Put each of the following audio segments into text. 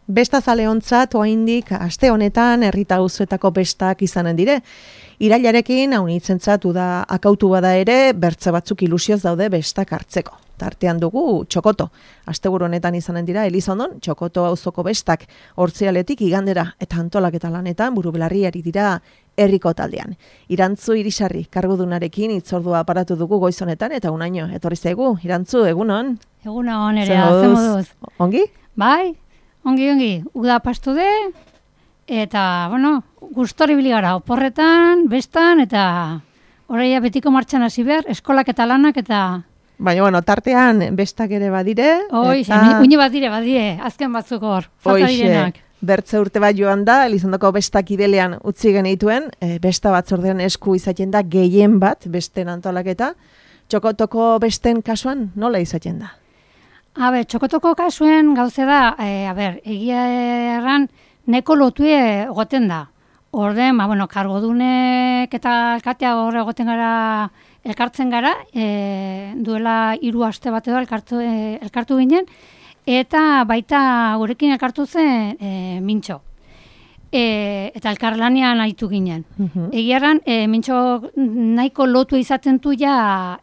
Bestazaleontzat oraindik aste honetan herrita auzoetako bestak izanen dire. Irailarekin haunitzentzat uda akautu bada ere, bertze batzuk ilusioz daude bestak hartzeko. Tartean dugu Txokoto. Asteburu honetan izanen dira Elizondon Txokoto auzoko bestak hortzialetik igandera eta antolaketa lanetan burubelarri ari dira herriko taldean. Irantzu Irisarri kargudunarekin hitzordua aparatu dugu goiz honetan eta unaino etorri zaigu. Irantzu, egunon? Egunon, ere, ze moduz. Ongi? Bai, ongi. Uda pastu de, eta, bueno, gustori bili gara, oporretan, bestan, eta horreia betiko martxan hasi behar, eskolak eta lanak, eta... Baina, bueno, tartean bestak ere badire. Eta... Uine badire, azken batzuk hor, falta direnak. Bertze urte bat joan da, Elizondoko bestak idelean utzi genituen, besta batzordean esku izaten da gehien bat, besten antolaketa. Txokotoko besten kasuan nola izaten da? Txokotoko kasuen gauze da, egia erran, neko lotue egoten da. Orden, kargodunek eta alkatea horre egoten gara, elkartzen gara, duela 3 aste bat edo elkartu ginen, eta baita gurekin elkartu zen Mintxo. Eta elkarlanean aritu ginen. Egia erran, Mintxo nahiko lotu izaten du ja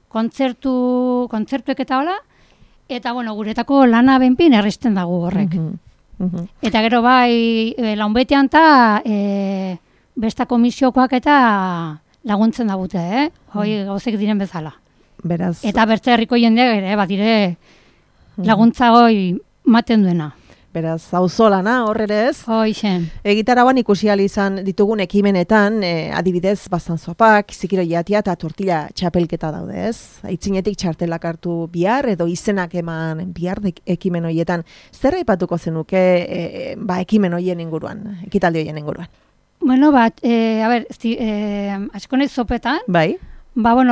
kontzertuek eta hola, eta guretako lana benpin erristen dago horrek. Eta gero bai, launbetean eta besta komisiokoak eta laguntzen dabute, hoi gauzek diren bezala. Beraz... Eta bertze herriko jendeak ere, badire laguntza hoi maten duena. Beraz, auzolana horre ez? Hoixen. Egitarauan ikusi ahal izan ditugun ekimenetan, adibidez, bazanzopak, zikiro jatia eta tortilla txapelketa daude ez? Aitzinetik txartelak hartu bihar edo izenak eman bihar ekimen horietan. Zer aipatuko zenuke ekimen horien inguruan, ekitaldi horien inguruan? Bueno, askonez zopetan. Bai.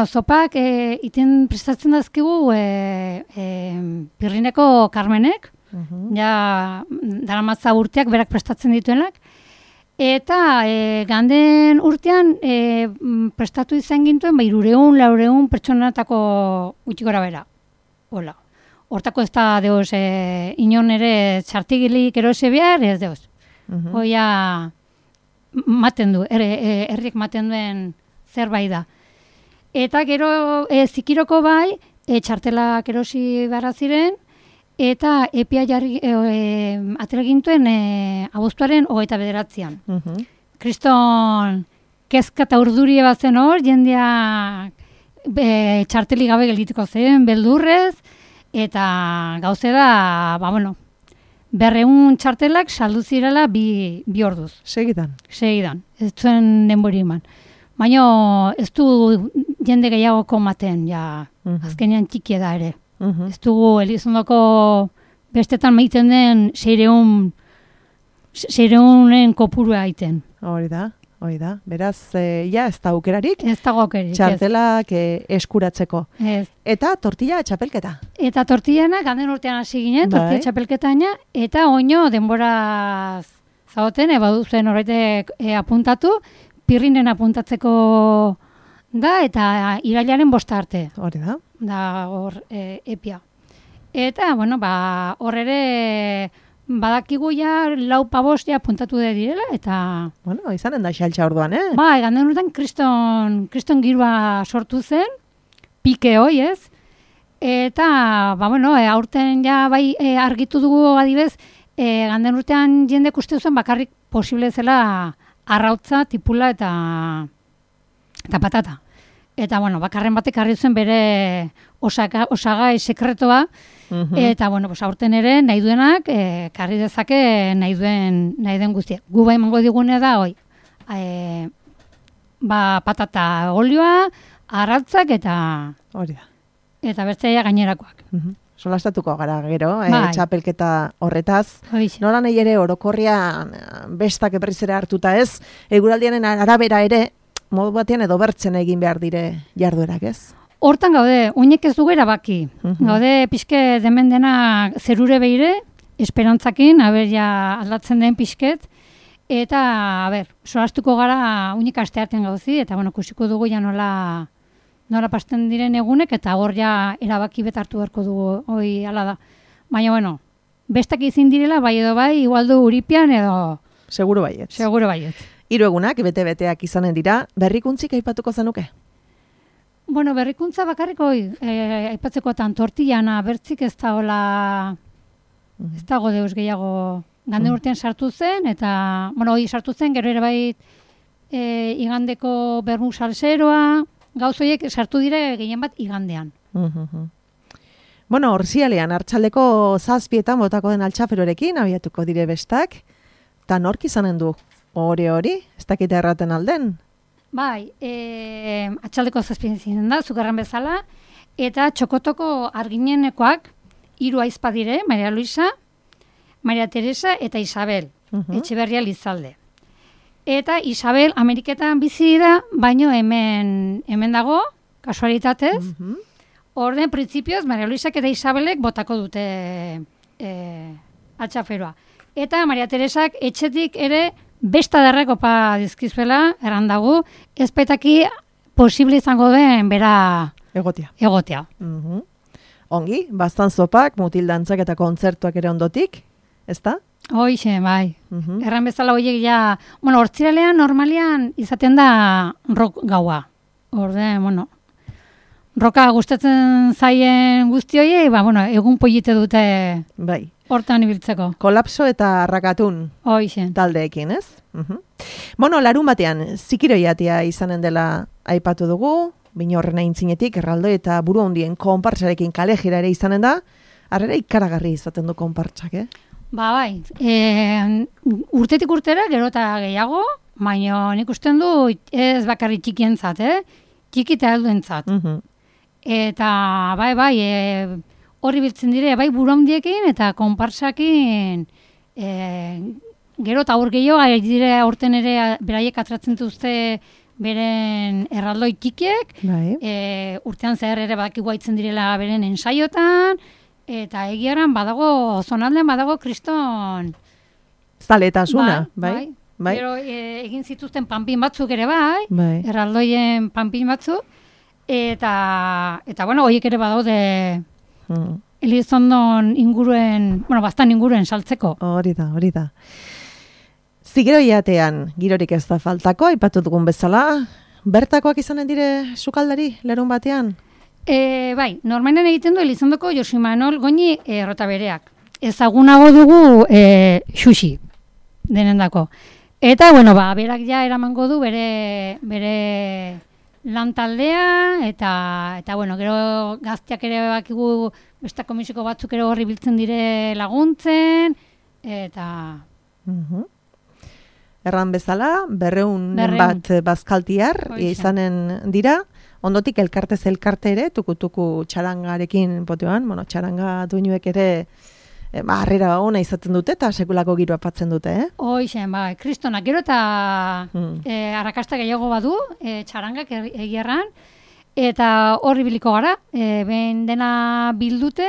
Zopak iten prestatzen dazkigu Pirrineko Carmenek, ja daramatza urteak berak prestatzen dituenak, eta ganden urtean prestatu izan gintuen 300-400 pertsonatako gutxi gora bera. Hola. Hortako ez da deus inon ere txartigilik erose behar, ez deus. Hoia maten du, herriek maten duen zerbait da. Eta gero zikiroko bai, txartelak erosi beharra ziren, eta epia jarri atera gintuen abuztuaren 29an. Kriston kezka eta urdurie bat zen hor, jendeak txarteli gabe geldituko zen, beldurrez, eta gauze da, 200 txartelak saldu zirela bi orduz. Segidan, ez zuen denbori eman. Baina ez du jende gehiagoko maten, azkenean txikia da ere. Ez dugu Elizondoko bestetan maiten den 600en kopurua aiten. Hori da. Beraz, ez da aukerarik? Ez dago aukerarik. Txartelak eskuratzeko. Ez. Eta tortilla txapelketa? Eta tortillana, ganden urtean hasi ginen, tortilla txapelketaina, eta oino denbora zagoten, baduzen horretek apuntatu, Pirrinen apuntatzeko da, eta irailaren 5 arte. Hori da. Da hor epia. Eta, hor ere badakigu ja 4-5 apuntatu direla, eta... Izanen da xaltxa orduan, Bai, ganden urtean kriston girua sortu zen, pike hoi, ez? Eta, aurten ja bai argitu dugu adibez, ganden urtean jendek uste zuen bakarrik posible zela arrautza, tipula eta patata. Eta, bakarren batek harri zuen bere osagai sekretoa, eta, aurten ere nahi duenak, karri dezake nahi duen guztia. Gu bai emango digune da, patata olioa, arrautzak eta... Hori da. Eta besteia gainerakoak. Solastatuko gara gero, txapelketa horretaz. Hoixe. Nola nahi ere orokorrian bestak eberriz ere hartuta ez, eguraldianen arabera ere, modu batean edo bertzen egin behar dire jarduerak ez? Hortan gaude, uinek ez dugu erabaki. Gaude pixke demen dena zerure behire, esperantzakin, aldatzen den pixket, eta, solastuko gara uinek asteartean gauzi, eta, kusiko dugu ja nola pasten diren egunek, eta hor ja erabaki bet hartu beharko dugu, hoi ala da. Baina, bestak izin direla, bai edo bai, igual du Uripian edo... Seguro baiet. Seguro baiet. 3 egunak, bete-beteak izanen dira, berrikuntzik aipatuko zenuke? Bueno, berrikuntza bakarriko aipatzekotan tortillana bertzik ez da hola... Ez dago deus gehiago gande urtean sartu zen, eta, bueno, hori sartu zen, gero ere bai igandeko bermu salseroa, gauzoiek sartu dire gehien bat igandean. Bueno, orzialean, hartxaldeko 7:00 botako den altxaferorekin, abiatuko dire bestak, eta nork izanen du hori, ez dakite erraten alden? Bai, atxaldeko 7:00 da, zukarran bezala, eta txokotoko arginenekoak, 3 aizpa dire, Maria Luisa, Maria Teresa eta Isabel, Etxeberria Lizalde. Eta Isabel Ameriketan bizi da, baino hemen dago, kasualitatez. Orden, printzipioz, Maria Luisak eta Isabelek botako dute atxaferoa. Eta Maria Teresak etxetik ere besta derrek opa dizkizuela, errandagu, ezpetaki posible izango den bera egotea. Ongi, bastan zopak, mutildantzak eta kontzertuak ere ondotik, ezta? Hoixe, bai. Erran bezala horiek ja, bueno, hortziralean normalian izaten da rock gaua. Orde, bueno, roka gustatzen zaien guzti horiei, bueno, egun polite dute bai. Hortan ibiltzeko. Kolapso eta arrakatun taldeekin, ez? Bueno, larun batean, zikiroiatia izanen dela aipatu dugu, Binorrena intzinetik, erraldo eta buru handien konpartsarekin kale jira ere izanen da, harrera ikaragarri izaten du konpartsak, Ba, bai, urtetik urtera, gero eta gehiago, baina nik usten du ez bakarri txikientzat, txiki eta helduentzat. Eta, bai, horri biltzen dire, bai buru handiekin eta konpartsakin, gero eta hor gehiago, dire aurten ere beraiek atratzen duzte beren erraldoi txikiek, urtean zehar ere badakigu haitzen direla beren ensaiotan, eta egiaran badago, zonaldean badago kriston... Zaletasuna, bai. Gero egin zituzten panpin batzuk ere bai, erraldoien panpin batzuk, eta bueno, horiek ere badaude Elizondon inguruen, bueno, bastan inguruen saltzeko. Hori da. Zigiroiatean girorik ez da faltako, aipatu dugun bezala, bertakoak izanen dire sukaldari, lerun batean? Bai, normalen egiten du Elizondoko Josu Manol Goñi Rotabereak. Ezagunago dugu xuxi denendako. Eta, bueno, berak ja eramango du bere lan taldea, eta bueno, gero gazteak ere bakigu besta komisiko batzuk ere horri biltzen dire laguntzen, eta... Erran bezala, 200 bat bazkaltiar izanen dira, ondotik elkartez elkarte ere, tukutuku txarangarekin potean, bueno, txaranga duinuek ere harrera ona izaten dute eta sekulako giroa patzen dute, Hoixen, bai, kristonak, gero eta arrakasta gehiago badu, txarangak egierran, eta horri biliko gara, ben dena bildute,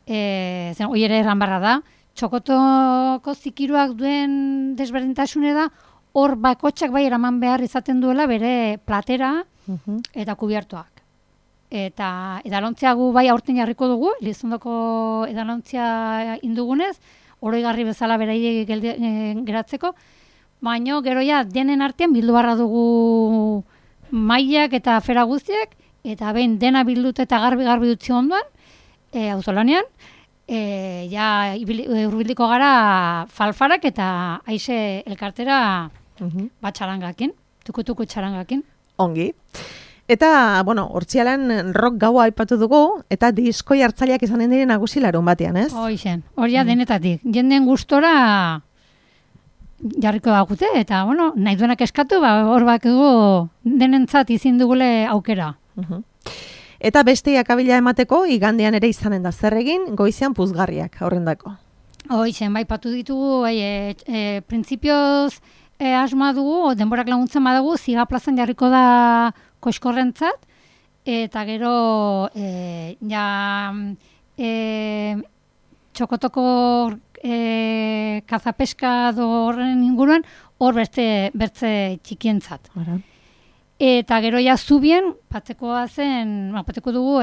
zen hori ere erran barra da, txokotoko zikiruak duen desberdintasune da, hor bakotxak bai eraman behar izaten duela bere platera eta kubiertoak. Eta edalontzia gu bai aurten jarriko dugu, Elizondoko edalontzia indugunez, oroigarri bezala berai geratzeko, baino gero ja denen artean bildu barra dugu mailak eta afera guztiak, eta behin dena bildute eta garbi dutzi ondoan, auzolanean, ja urbiliko gara falfarak eta aize elkartera bat txarangakin, tukutuku txarangakin. Ongi. Eta, bueno, hortzialan rock gaua aipatu dugu, eta diskoi hartzaileak izanen diren nagusi larun batean, ez? Hoixen, hori denetatik. Jenden gustora jarriko dagute, eta, bueno, nahi duenak eskatu, hor bakigu denentzat izin dugule aukera. Eta beste akabila emateko, igandean ere izanen da zer egin, goizean puzgarriak aurrendako. Hoixen, bai, patu ditugu, printzipioz asma dugu, denborak laguntzen badagu, Ziga plazan jarriko da koiskorrentzat, eta gero txokotoko kazapeska horren inguruan, hor bertze txikientzat. Eta gero ja zubien, patzeko dugu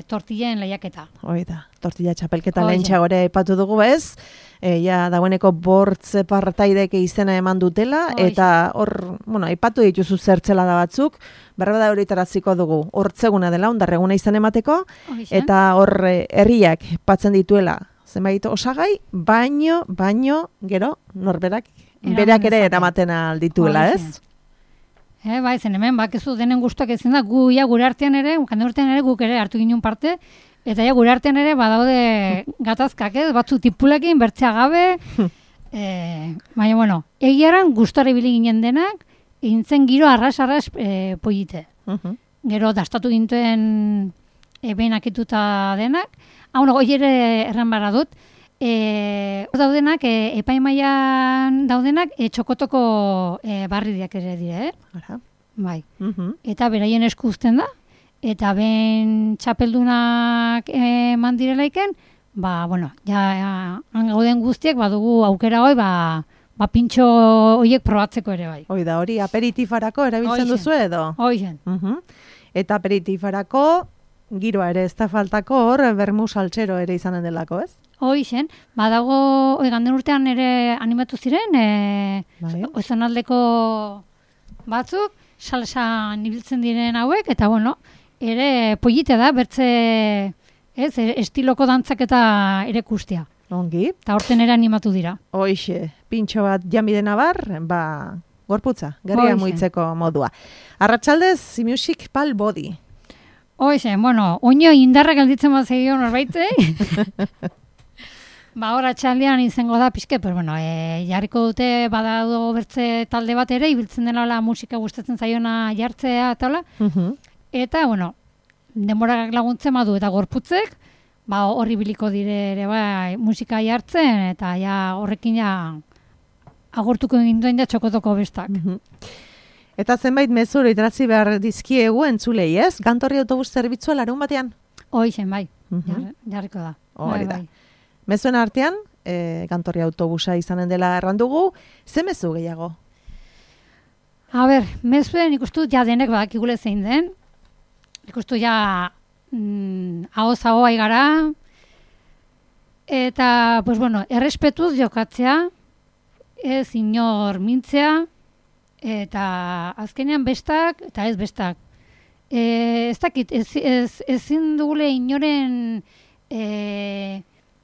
tortillen lehiaketa. Hoi da, tortilla txapelketa lehentxa gore aipatu dugu ez, ja dagoeneko bortze partaidek izena eman dutela, eta hor, aipatu dituzu zertzela da batzuk, berbada horitaraziko dugu, hortzeguna dela, ondarreguna izan emateko, eta hor herriak patzen dituela, zenbait osagai, baino, gero, norberak, berak ere eramaten aldituela ez? Bai, zen hemen, bakizu denen guztuak ezin da, gure artean ere, guk ere hartu ginen parte, eta gure artean ere badaude gatazkak, batzu tipulekin, bertzea gabe, baina, egiaran guztore ibili ginen denak, egin zen giro arras polite. Gero, dastatu gintuen behin akituta denak, hoi ere erran barra dut, daudenak, epaimaian daudenak, txokotoko barridiak ere dire, Bai. Eta beraien esku uzten da, eta ben txapeldunak eman direlaiken, ja gauden guztiek badugu aukera hoi, pintxo horiek probatzeko ere bai. Hoi da, hori aperitifarako erabiltzen duzu edo? Hoizen. Eta aperitifarako giroa ere ez da faltako hor, bermu saltxero ere izanen delako, ez? Hoizen, badago, ganden urtean ere animatu ziren, oizonaldeko batzuk, salsan ibiltzen diren hauek, eta ere polite da, bertze, estiloko dantzak eta ere kustia. Ongi. Eta horten ere animatu dira. Hoixe, pintxo bat jamidena bar, gorputza, gerria muitzeko modua. Arratsaldez, Music Pal Body. Hoixe, oino indarra gelditzen bat zegio norbaite. Hor atxaldean izango da pixke, pero jarriko dute badado bertze talde bat ere, ibiltzen dela musika gustatzen zaiona jartzea eta hola. Eta, denborak laguntzen badu eta gorputzek, horri biliko dire ere musika jartzen, eta horrekin agurtuko ginduen txokotoko bestak. Eta zenbait mezuro itrazi behar dizkiegu entzulei, ez? Gantorri autobus zerbitzua larun batean? Hoizen, bai, jarriko da. Hori da. Mezuen artean, Gantorri autobusa izanen dela errandugu, ze mezu gehiago? Mezuen ikustut denek badakigule zein den, ikustut ahoz aigara, eta, errespetuz jokatzea, ez inor mintzea, eta azkenean bestak, eta ez bestak. Ez dakit, ezin dugule inoren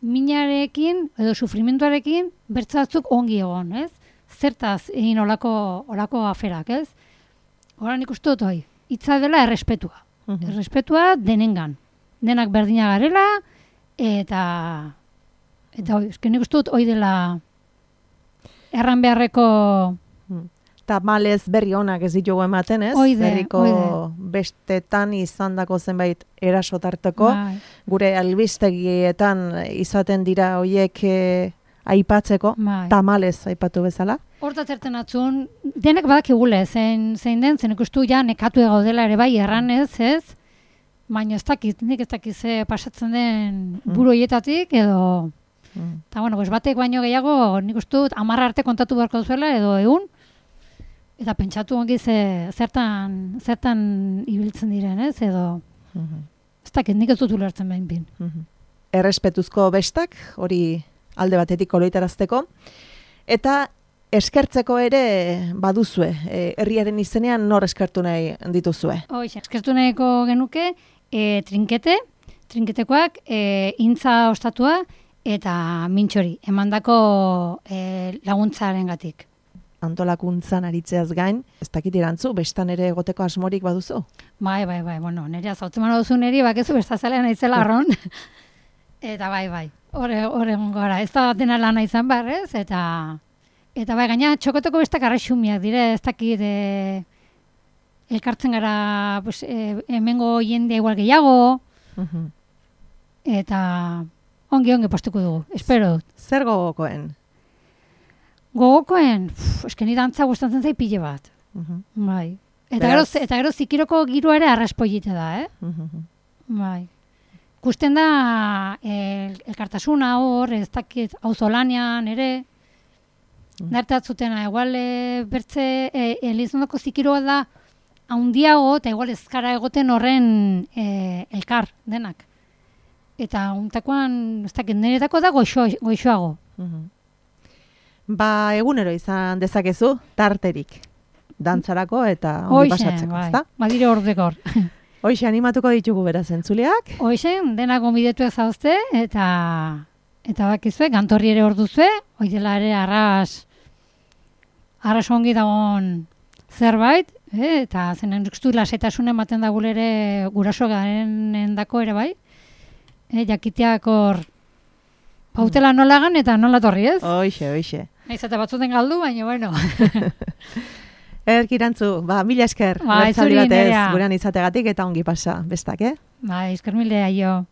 minarekin edo sufrimentuarekin bertzatzuk ongi egon, ez? Zertaz egin olako aferak, ez? Horan ikustut hitza dela errespetua. Errespetua denengan. Denak berdina garela, eta esken ikustut dela erran beharreko tamalez berri onak ez ditugu ematen, ez? Berriko bestetan izandako zenbait erasotarteko, gure albistegietan izaten dira hoiek aipatzeko, tamalez aipatu bezala. Horta zerten atzun, denek badakigule zein den, zen ikustu nekatu gaudela ere bai erranez, ez? Baina ez dakit ze pasatzen den buru hoietatik edo... Eta batek baino gehiago nik ustut 10 arte kontatu beharko zuela edo egun, eta pentsatu ongi zertan ibiltzen diren, ez? Edo, ez dakit, nik ez dut ulertzen behin bin. Errespetuzko bestak, hori alde batetik oloitarazteko, eta eskertzeko ere baduzue, herriaren izenean nor eskertu nahi dituzue? Eskertu nahiko genuke, trinketekoak, intza ostatua, eta mintxori, emandako laguntzaren gatik. Antolakuntzan aritzeaz gain, ez dakit irantzu, bestan ere egoteko asmorik baduzu? Bai, nire azautzen manu duzu niri, bakezu bestazalean aitzela arron. Eta bai, hor egon gara, ez da dena lana izan behar, ez? Eta gaina txokotoko bestak arraixumiak dire, ez dakit elkartzen gara hemengo jende igual gehiago, eta ongi postuko dugu, espero dut. Zer gogokoen? Gogokoen, eskeni dantza gustatzen zai pile bat. Bai. Eta gero zikiroko giroa ere arraspoilite da, Bai. Kusten da elkartasuna hor, ez dakit auzolanean ere, nartatzutena, igual bertze elizondoko zikiroa da handiago eta igual ezkara egoten horren elkar denak. Eta untakoan, ez dakit, niretako da goixoago. Ba, egunero izan dezakezu, tarterik. Dantzarako eta ongi pasatzeko, ezta? Badire ordekor. Hoxe, animatuko ditugu beraz entzuleak. Hoxe, denak gonbidetuak zauzte, eta bakizue, gantorri ere hor duzue, dela ere arras ongi dagoen zerbait, eta zenen ikustu lasetasun ematen da ere guraso garen dako ere bai, jakiteak hor pautela nolagan eta nola torri, ez? Hoxe. Naiz eta batzuten galdu, baina bueno. Erkirantzu, mila esker, zuri batez, gurean izategatik eta ongi pasa, bestak, esker mila jo.